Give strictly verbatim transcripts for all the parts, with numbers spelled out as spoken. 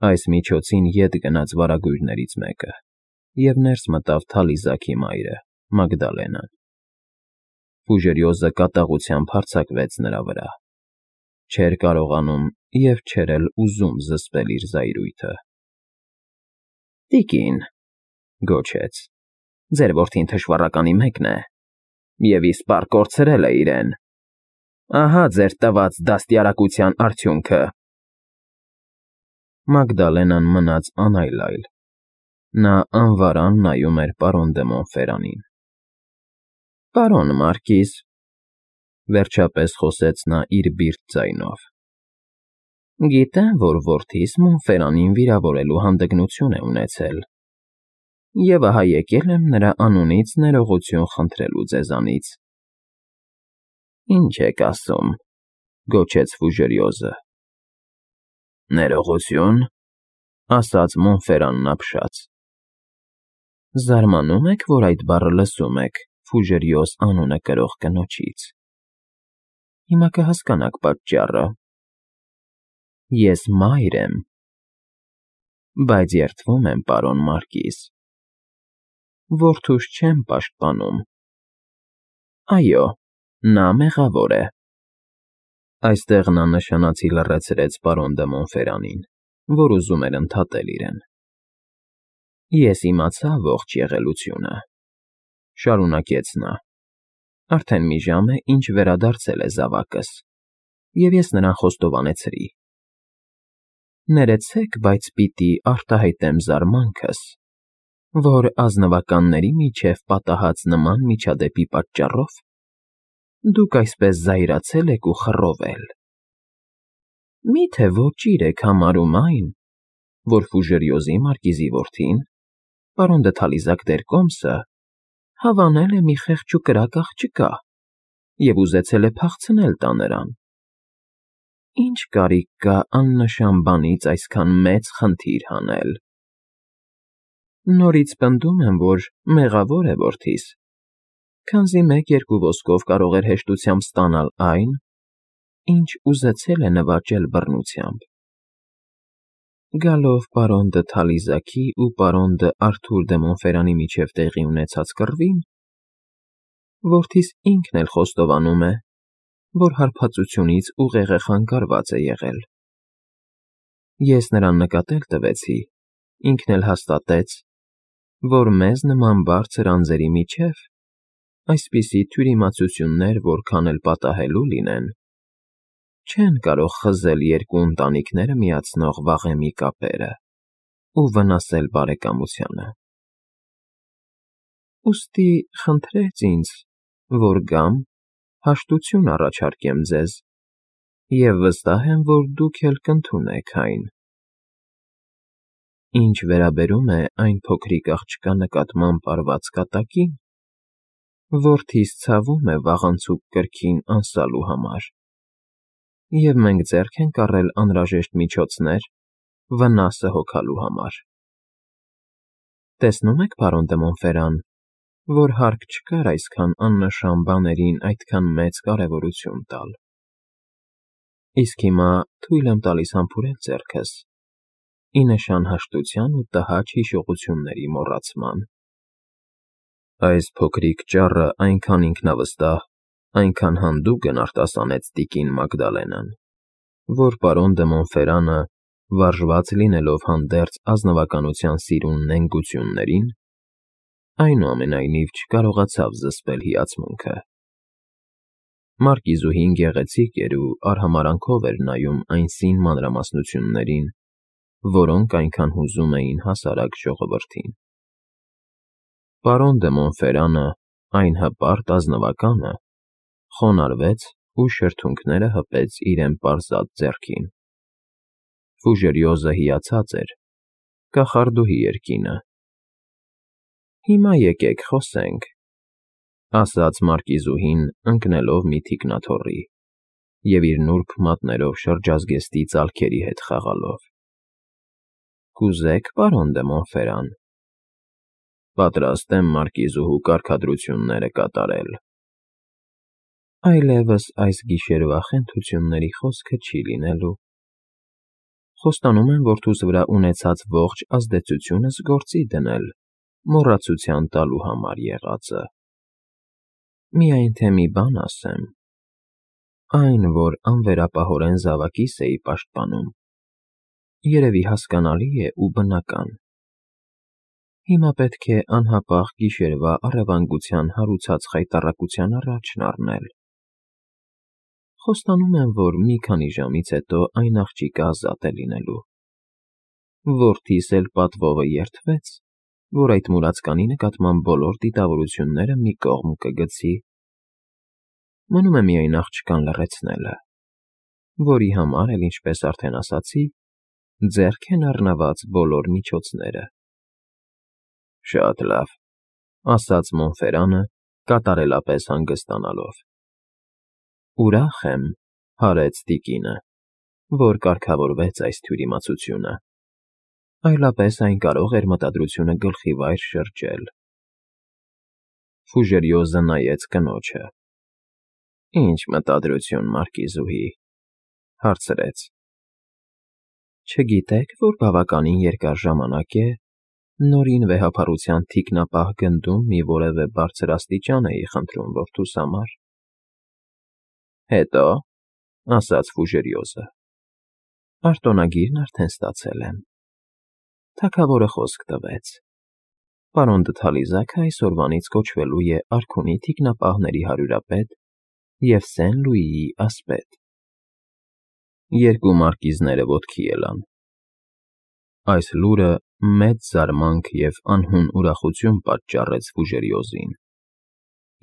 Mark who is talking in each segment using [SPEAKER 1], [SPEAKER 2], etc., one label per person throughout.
[SPEAKER 1] Այս միջոցին ետ գնաց վարագույրներից մեկը և ներս մտավ Թալիզաքի մայրը՝ Մագդալենան։ Ֆուժերիոզը կատաղությամբ հարձակվեց նրա վրա. չէր կարողանում և չէր էլ ուզում զսպել իր զայրույթը։ ֊ Տիկին,֊ գոչեց,֊ ձեր որդին թշվառականի մեկն է և իսպառ կորցրել է իրեն… Ահա ձեր տված դաստիարակության արդյունքը… Մագդալենան մնաց անայլայլ. նա անվարան նայում էր պարոն դը Մոնֆերանին։ ֊ Պարոն մարկիզ,֊ վերջապես խոսեց նա իր բիրտ ձայնով,֊ գիտեմ, որ որդիս Մոնֆերանին վիրավորելու հանդգնություն է ունեցել և ահա եկել եմ նրա անունից ներողություն խնդրելու ձեզանից։ ֊ Ի՞նչ եք ասում,֊ գոչեց Ֆուժերիոզը։ ֊ Ներողությո՞ւն,֊ ասաց Մոնֆերանն ապշած։ ֊ Զարմանում եք, որ այդ բառը լսում եք Ֆուժերիոզ անունը կրող կնոջից… Հիմա կհասկանաք պատճառը… Ես մայր եմ, բայց երդվում եմ, պարոն մարկիզ… Որդուս չեմ պաշտպանում… Այո, նա մեղավոր է… Այստեղ նա նշանացի լռեցրեց պարոն դը Մոնֆերանին, որ ուզում էր ընդհատել իրեն։ ֊ Ես իմացա ողջ եղելությունը,֊ շարունակեց նա,֊ արդեն մի ժամ է, ինչ վերադարձել է զավակս, և ես նրան խոստովանեցրի… Ներեցեք, բայց պիտի արտահայտեմ զարմանքս, որ ազնվականների միջև պատահած նման միջադեպի պատճառով դուք այսպես զայրացել եք ու խռովել… Մի՞թե ոճիր եք համարում այն, որ Ֆուժերիոզի մարկիզի որդին, պարոն դը Թալիզակ Տերկոմսը, հավանել է մի խեղճ ու կրակ աղջկա և ուզեցել է փախցնել տա նրան… Ի՞նչ կարիք կա աննշան բանից այսքան մեծ խնդիր հանել… Նորից պնդում եմ, որ մեղավոր է որդիս, քանզի մեկ֊երկու ոսկով կարող էր հեշտությամբ ստանալ այն, ինչ ուզեցել է նվաճել բռնությամբ… Գալով պարոն դը Թալիզակի ու պարոն դ'Արթուր դը Մոնֆերանի միջև տեղի ունեցած կռվին, որդիս ինքն էլ խոստովանում է, որ հարբածությունից ուղեղը խանգարված է եղել… Ես նրան նկատել տվեցի, ինքն էլ հաստատեց, որ մեզ նման բարձր անձերի միջև այսպիսի թյուրիմացություններ որքան էլ պատահելու լինեն, չեն կարող խզել երկու ընտանիքները միացնող վաղեմի կապերը ու վնասել բարեկամությանը… Ուստի խնդրեց ինձ, որ գամ, հաշտություն առաջարկեմ ձեզ և վստահ եմ, որ դուք էլ կընդունեք այն… Ինչ վերաբերում է այն փոքրիկ աղջկա նկատմամբ արված կատակին, որդիս ցավում է վաղանցուկ կրքին անսալու համար, և մենք ձեռք ենք առել անհրաժեշտ միջոցներ վնասը հոգալու համար… Տեսնում եք, պարոն դը Մոնֆերան, որ հարկ չկար այսքան աննշան բաներին այդքան մեծ կարևորություն տալ… Իսկ հիմա թույլ եմ տալիս համբուրել ձեռքս, ի նշան հաշտության ու տհաճ հիշողությունների մոռացման… Այս փոքրիկ ճառը այնքան ինքնավստահ, այնքան հանդուգն արտասանեց տիկին Մագդալենան, որ պարոն դը Մոնֆերանը, վարժված լինելով հանդերձ ազնվականության սիրուն նենգություններին, այնուամենայնիվ չկարողացավ զսպել հիացմունքը… Մարկիզուհին գեղեցիկ էր ու արհամարհանքով էր նայում այն սին մանրամասնություններին, որոնք այնքան հուզում էին հասարակ ժողովրդին… Պարոն դը Մոնֆերանը, այն հպարտ ազնվականը, խոնարհվեց ու շրթունքները հպեց իրեն պարզած ձեռքին… Ֆուժերիոզը հիացած էր, կախարդուհի էր կինը… Հիմա եկեք խոսենք,֊ ասաց մարկիզուհին ընկնելով մի թիկնաթոռի և իր նուրբ մատներով շրջազգեստի ծալքերի հետ խաղալով։ ֊ Կուզե՞ք, պարոն դը Մոնֆերան… Պատրաստ եմ մարկիզուհու կարգադրությունները կատարել… Այլևս այս գիշերվա խենթությունների խոսքը չի լինելու… Խոստանում եմ որդուս վրա ունեցած ողջ ազդեցությունս գործի դնել, մոռացության տալու համար եղածը։ Միայն թե մի բան ասեմ. այն, որ անվերապահորեն զավակիս էի պաշտպանում, երևի հասկանալի է ու բնական։ Հիմա պետք է անհապաղ գիշերվա առևանգության հարուցած խայտառակության առաջն առնել։ Խոստանում եմ, որ մի քանի ժամից հետո այն աղջիկը ազատ է լինելու։ Որդիս էլ պատվովը երդվեց, որ այդ մուրացկանի նկատմամբ բոլոր դիտավորությունները մի կողմ կգցի։ Մնում է միայն աղջկան լռեցնելը, որի համար էլ, ինչպես արդեն ասացի, ձեռք են առնված բոլոր միջոցները։ Շատ լավ, ասաց Մոնֆերանը, կատարելապես հանգստանալով։ Ուրախ եմ, հարեց տիկինը, որ կարգավորվեց այս թյուրիմացությունը, այլապես այն կարող էր մտադրությունը գլխի վայր շրջել։ Ֆուժերիոզը նայեց կնոջը։ Ինչ մտադրություն, Մարկիզուհի, հարցրեց։ Չգիտեք, որ բավականին երկար ժամանակ է նորին վեհափառության թիկնապահ գնդում մի որևէ բարձր աստիճան էի խնդրում որդուս համար։ Հետո, ասաց Ֆուժերիոզը, արտոնագիրն արդեն ստացել եմ։ Թագավորը խոսք տվեց։ Պարոն Դթալիզաքը այսօրվանից կոչվելու է արքունի թիկնապահների հարյուրապետ և Սեն Լուիի ասպետ։ Երկու մարկիզները ոտքի ելան։ Այս լուրը մեծ զարմանք և անհուն ուրախություն պատճառեց Ֆուժերիոզին,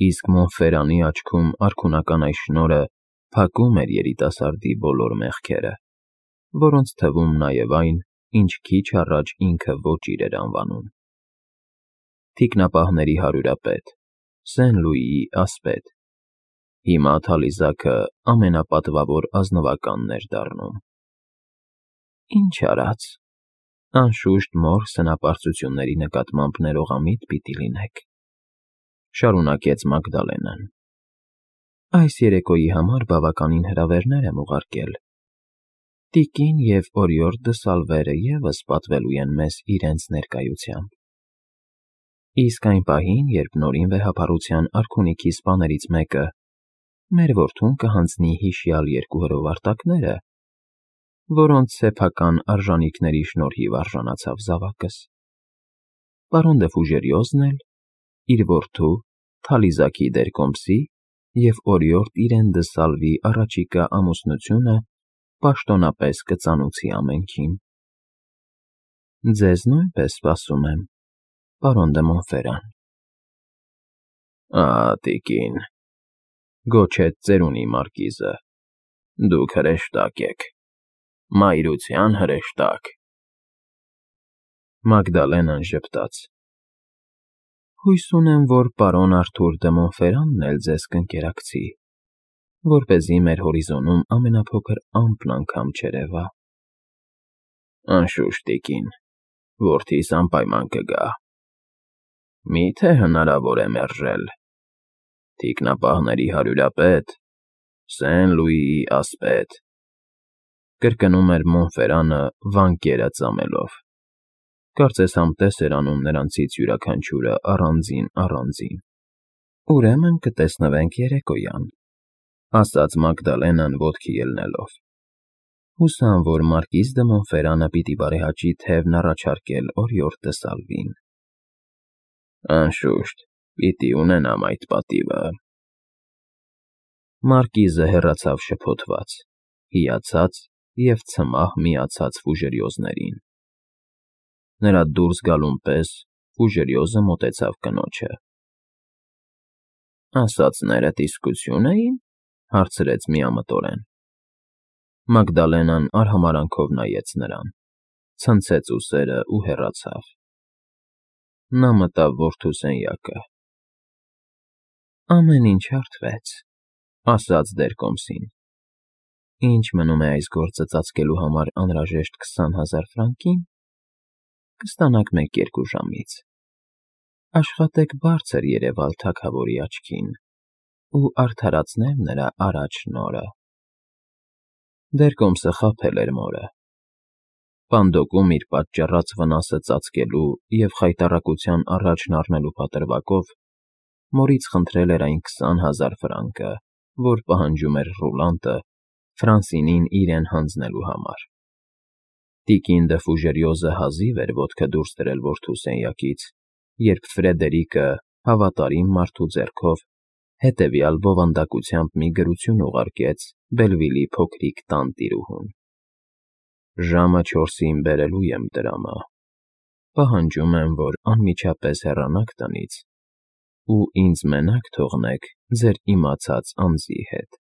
[SPEAKER 1] իսկ Մոնֆերանի աչքում արքունական այս շնորհը փակում էր երիտասարդի բոլոր մեղքերը, որոնց թվում նաև այն, ինչ քիչ առաջ ինքը ոճիր էր անվանում։ Թիկնապահների հարյուրապետ, Սեն Լուիի ասպետ։ Հիմա Թալիզաքը ամենապատվավոր ազնվականն էր դառնում։ Ինչ արած, անշուշտ մոր սնապարծությունների նկատմամբ ներողամիտ պիտի լինեք, շարունակեց Մագդալենան։ Այս երեկոյի համար բավականին հրավերներ եմ ուղարկել։ Տիկին և Օրիորդ դը Սալվերը ևս պատվելու են մեզ իրենց ներկայությամբ։ Իսկ այն պահին, երբ նորին վեհափառության արքունիքի սպաներից մեկը մեր որդուն կհանձնի հիշյալ երկու հրովարտակները, որոնց սեփական արժանիքների շնորհիվ արժանացավ զավակս, պարոն դը Ֆուժերիոզն էլ իր որդու Թալիզաքի դերկոմսի և Օրիորդ իրեն դը Սալվի առաջիկա ամուսնությունը պաշտոնապես կծանուցի ամենքին։ Ձեզ նույնպես սպասում եմ, պարոն դը Մոնֆերան։ Ահա, տիկին, գոչեց ծերունի մարկիզը, դուք հրեշտակ եք, մայրության հրեշտակ։ Մագդալենան ժպտաց։ Հույս ունեմ, որ պարոն Արթուր դը Մոնֆերանն էլ ձեզ կընկերակցի, որպեսզի մեր հորիզոնում ամենափոքր ամպն անգամ չերևա։ Անշուշտ, տիկին, որդիս անպայման կգա։ Մի՞թե հնարավոր է մերժել։ Թիկնապահների հարյուրապետ, Սեն Լուիի ասպետ, կրկնում էր Մոնֆերանը վանկերը ծամելով։ Կարծես համտես էր անում նրանցից յուրաքանչյուրը առանձին֊առանձին։ Ուրեմն կտեսնվենք երեկոյան, ասաց Մագդալենան ոտքի ելնելով։ Հուսամ, որ մարկիզ դը Մոնֆերանը պիտի բարեհաճի թևն առաջարկել Օրիորդ դը Սալվին։ Անշուշտ, պիտի ունենամ այդ պատիվը։ Մարկիզը հեռացավ շփոթված, հիացած և ցմահ միացած Ֆուժերիոզներին։ Նրա դուրս գալուն պես Ֆուժերիոզը մոտեցավ կնոջը։ Ասածներդ իսկությո՞ւն էին, հարցրեց միամտորեն։ Մագդալենան արհամարհանքով նայեց նրան, ցնցեց ուսերը ու հեռացավ։ Նա մտավ որդու սենյակը։ Ամեն ինչ հարթվեց, ասաց դերկոմսին։ Ինչ մնում է այս գործը ծածկելու համար անհրաժեշտ քսան հազար ֆրանկին, կստանաք մեկ֊երկու ժամից։ Աշխատեք բարձր երևալ թագավորի աչքին ու արդարացնել նրա արաջ շնորհը։ Դերկոմսը խաբել էր մորը, Պանդոկում իր պատճառած վնասը ծածկելու և խայտառակության առաջն առնելու պատրվակով մորից խնդրել էր այն քսան հազար ֆրանկը, որ պահանջում էր Ռուլանտը Ֆրանսինին իրեն հանձնելու համար։ Տիկին դը Ֆուժերյոզը հազիվ էր ոտքը դուրս դրել որդու սենյակից, երբ Ֆրեդերիկը հավատարիմ մարդու ձեռքով հետևյալ բովանդակությամբ մի գրություն ուղարկեց Բելվիլի փոքրիկ տանտիրուհուն. «Ժամը չորսին բերելու եմ տրամը։ Պահանջում եմ, որ անմիջապես հեռանաք տնից ու ինձ մենակ թողնեք ձեր իմացած անձի հետ»։